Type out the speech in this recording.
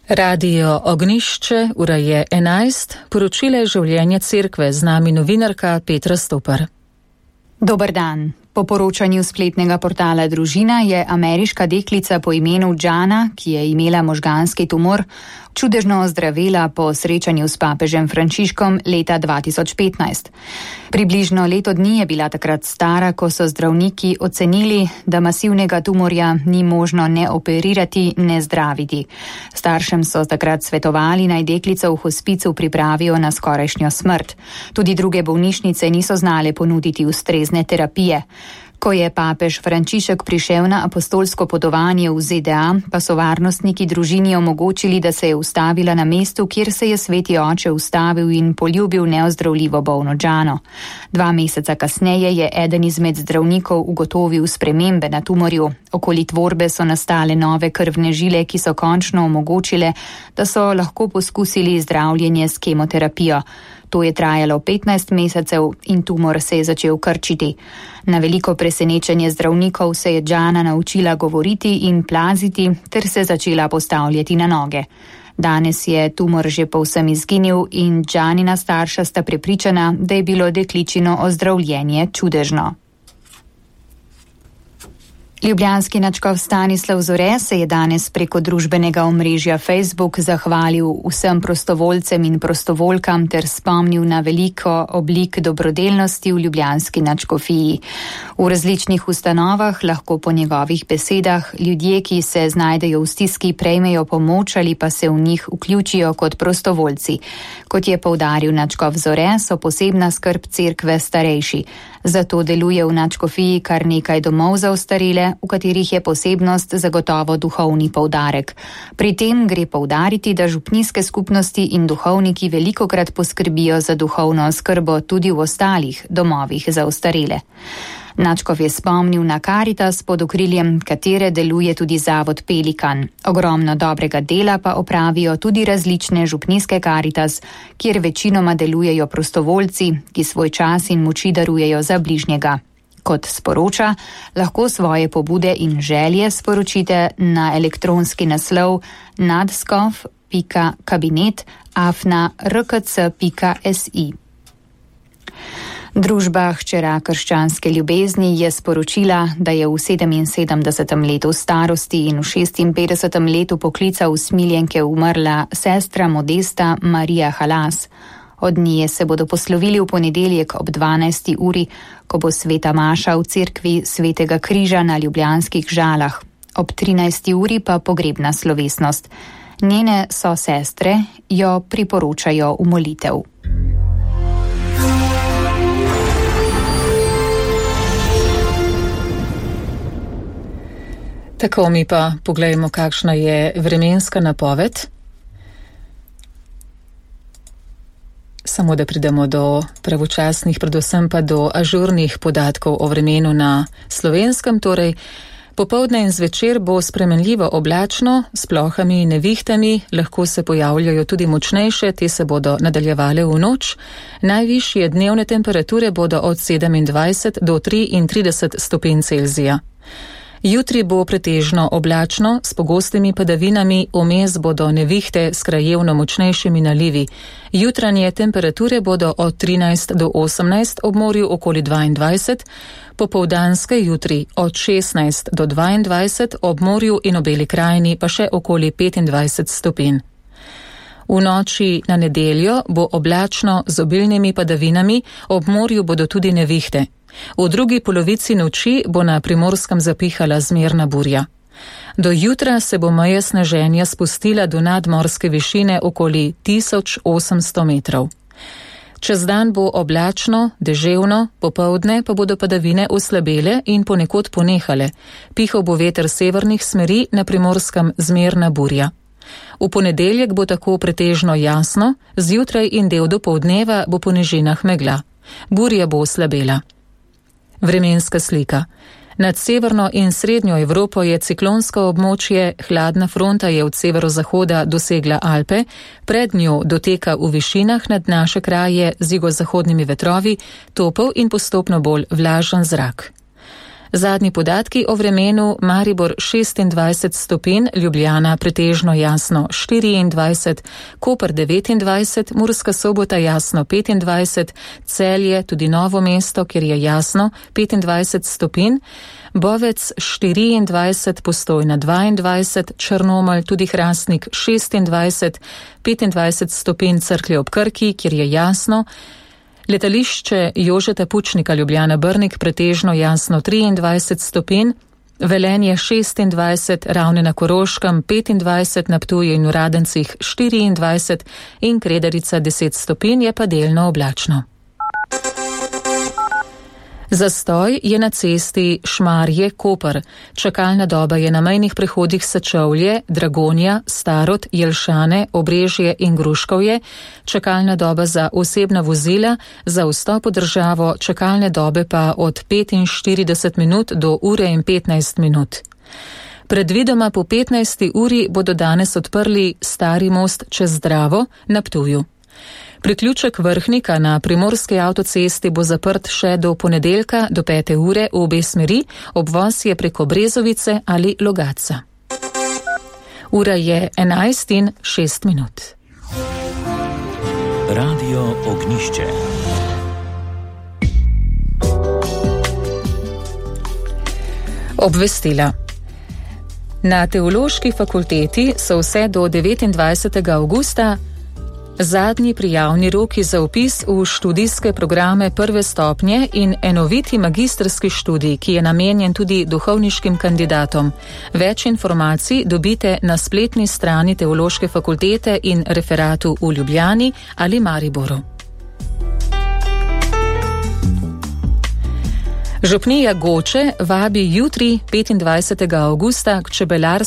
Radio Ognišče, ura je 11, poročile življenje cerkve, z nami novinarka Petra Stopar. Dober dan. Po poročanju spletnega portala Družina je ameriška deklica po imenu Jana, ki je imela možganski tumor, čudežno ozdravela po srečanju s papežem Frančiškom leta 2015. Približno leto dni je bila takrat stara, ko so zdravniki ocenili, da masivnega tumorja ni možno ne operirati, ne zdraviti. Staršem so takrat svetovali, naj deklico v hospicu pripravijo na skorajšnjo smrt. Tudi druge bolnišnice niso znale ponuditi ustrezne terapije. Ko je papež Frančišek prišel na apostolsko potovanje v ZDA, pa so varnostniki družini omogočili, da se je ustavila na mestu, kjer se je sveti oče ustavil in poljubil neozdravljivo bolno Jano. 2 meseca kasneje je eden izmed zdravnikov ugotovil spremembe na tumorju. Okoli tvorbe so nastale nove krvne žile, ki so končno omogočile, da so lahko poskusili zdravljenje s kemoterapijo. To je trajalo 15 mesecev in tumor se je začel krčiti. Na veliko presenečenje zdravnikov se je Jana naučila govoriti in plaziti ter se začela postavljati na noge. Danes je tumor že povsem izginil in Janina starša sta prepričana, da je bilo dekličino ozdravljenje čudežno. Ljubljanski nadškof Stanislav Zore se je danes preko družbenega omrežja Facebook zahvalil vsem prostovoljcem in prostovoljkam ter spomnil na veliko oblik dobrodelnosti v ljubljanski nadškofiji. V različnih ustanovah lahko po njegovih besedah ljudje, ki se znajdejo v stiski, prejmejo pomoč ali pa se v njih vključijo kot prostovoljci. Kot je poudaril nadškof Zore, so posebna skrb cerkve starejši. Zato deluje v nadškofiji kar nekaj domov za ostarele, v katerih je posebnost zagotovo duhovni poudarek. Pri tem gre poudariti, da župnijske skupnosti in duhovniki velikokrat poskrbijo za duhovno oskrbo tudi v ostalih domovih za ostarele. Nadškof je spomnil na Karitas, pod okriljem katere deluje tudi zavod Pelikan. Ogromno dobrega dela pa opravijo tudi različne župnijske Karitas, kjer večinoma delujejo prostovoljci, ki svoj čas in moči darujejo za bližnjega. Kot sporoča, lahko svoje pobude in želje sporočite na elektronski naslov nadškof.kabinet@rkc.si. Družba Hčera krščanske ljubezni je sporočila, da je v 77. letu starosti in v 56. letu poklica usmiljenke umrla sestra Modesta Marija Halas. Od nje se bodo poslovili v ponedeljek ob 12. uri, ko bo sveta maša v cerkvi Svetega križa na Ljubljanskih Žalah. Ob 13. uri pa pogrebna slovesnost. Njene sosestre jo priporočajo v molitev. Tako, mi pa pogledajmo, kakšna je vremenska napoved. Samo da pridemo do pravočasnih, predvsem pa do ažurnih podatkov o vremenu na Slovenskem. Torej, popoldne in zvečer bo spremenljivo oblačno, s plohami in nevihtami, lahko se pojavljajo tudi močnejše, te se bodo nadaljevale v noč. Najvišje dnevne temperature bodo od 27 do 33 stopinj Celzija. Jutri bo pretežno oblačno, s pogostimi padavinami, vmes bodo nevihte s krajevno močnejšimi nalivi. Jutranje temperature bodo od 13 do 18, ob morju okoli 22, popoldanske jutri od 16 do 22, ob morju in obeli krajini pa še okoli 25 stopinj. V noči na nedeljo bo oblačno z obilnimi padavinami, ob morju bodo tudi nevihte. V drugi polovici noči bo na Primorskem zapihala zmerna burja. Do jutra se bo meja sneženja spustila do nadmorske višine okoli 1800 metrov. Čez dan bo oblačno, deževno, popoldne pa bodo padavine oslabele in ponekod ponehale. Pihal bo veter severnih smeri, na Primorskem zmerna burja. V ponedeljek bo tako pretežno jasno, zjutraj in del dopoldneva bo po nižinah megla. Burja bo oslabela. Vremenska slika. Nad severno in srednjo Evropo je ciklonsko območje, hladna fronta je od severozahoda dosegla Alpe, pred njo doteka v višinah nad naše kraje z jugozahodnimi vetrovi, topel in postopno bolj vlažen zrak. Zadnji podatki o vremenu: Maribor 26 stopinj, Ljubljana pretežno jasno 24, Koper 29, Murska Sobota jasno 25, Celje, tudi Novo mesto, kjer je jasno, 25 stopinj, Bovec 24, Postojna 22, Črnomelj, tudi Hrastnik 26, 25 stopinj, Cerklje ob Krki, kjer je jasno, Letališče Jožeta Pučnika Ljubljana Brnik pretežno jasno 23 stopinj, Velenje 26, Ravne na Koroškem 25, na Ptuju in v Radencih 24 in Kredarica 10 stopinj, je pa delno oblačno. Zastoj je na cesti Šmarje-Koper. Čakalna doba je na mejnih prehodih Sečovlje, Dragonja, Starod, Jelšane, Obrežje in Gruškovje. Čakalna doba za osebna vozila, za vstop v državo čakalne dobe pa od 45 minut do ure in 15 minut. Predvidoma po 15. uri bodo danes odprli Stari most čez Dravo na Ptuju. Priključek Vrhnika na primorski avtocesti bo zaprt še do ponedeljka do 5. ure v obe smeri, obvoz je preko Brezovice ali Logatca. Ura je 11:06. Radio Ognjišče. Obvestila. Na Teološki fakulteti so vse do 29. avgusta zadnji prijavni roki za vpis v študijske programe prve stopnje in enoviti magistrski študij, ki je namenjen tudi duhovniškim kandidatom. Več informacij dobite na spletni strani Teološke fakultete in referatu v Ljubljani ali Mariboru. Župnija Goče vabi jutri, 25. avgusta, k čebelarstvu